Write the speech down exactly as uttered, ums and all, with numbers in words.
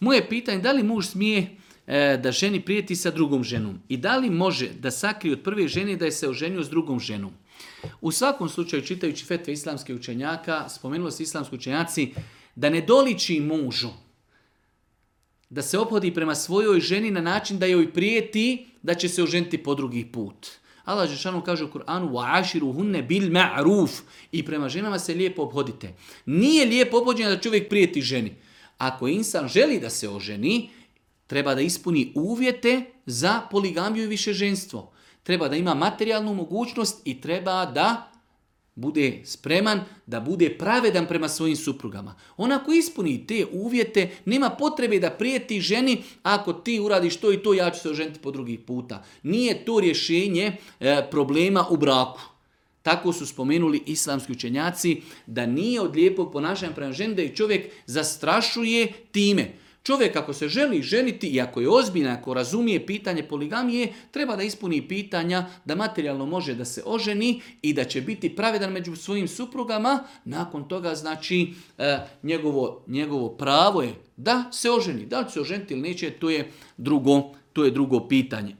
Moje pitanje, da li muž smije e, da ženi prijeti sa drugom ženom? I da li može da sakrije od prve žene da je se oženio s drugom ženom? U svakom slučaju, čitajući fetve islamskih učenjaka, spomenulo se islamski učenjaci da ne doliči mužu da se ophodi prema svojoj ženi na način da joj prijeti da će se oženiti po drugi put. Allah dželešanu kaže u Kur'anu وَعَاشِرُهُنَّ بِالْمَعْرُوفِ i prema ženama se lijepo obhodite. Nije lijepo obhođenje da čovjek prijeti ženi. Ako insan želi da se oženi, treba da ispuni uvjete za poligamiju i višeženstvo. Treba da ima materijalnu mogućnost i treba da bude spreman, da bude pravedan prema svojim suprugama. On ako ispuni te uvjete, nema potrebe da prijeti ženi, ako ti uradiš to i to, ja ću se oženiti po drugi puta. Nije to rješenje e, problema u braku. Tako su spomenuli islamski učenjaci da nije od lijepog ponašanja prema ženi da ih čovjek zastrašuje time. Čovjek ako se želi ženiti i ako je ozbiljan, ako razumije pitanje poligamije, treba da ispuni pitanja da materijalno može da se oženi i da će biti pravedan među svojim suprugama. Nakon toga znači e, njegovo, njegovo pravo je da se oženi. Da li će se oženiti ili neće, to je drugo, to je drugo pitanje.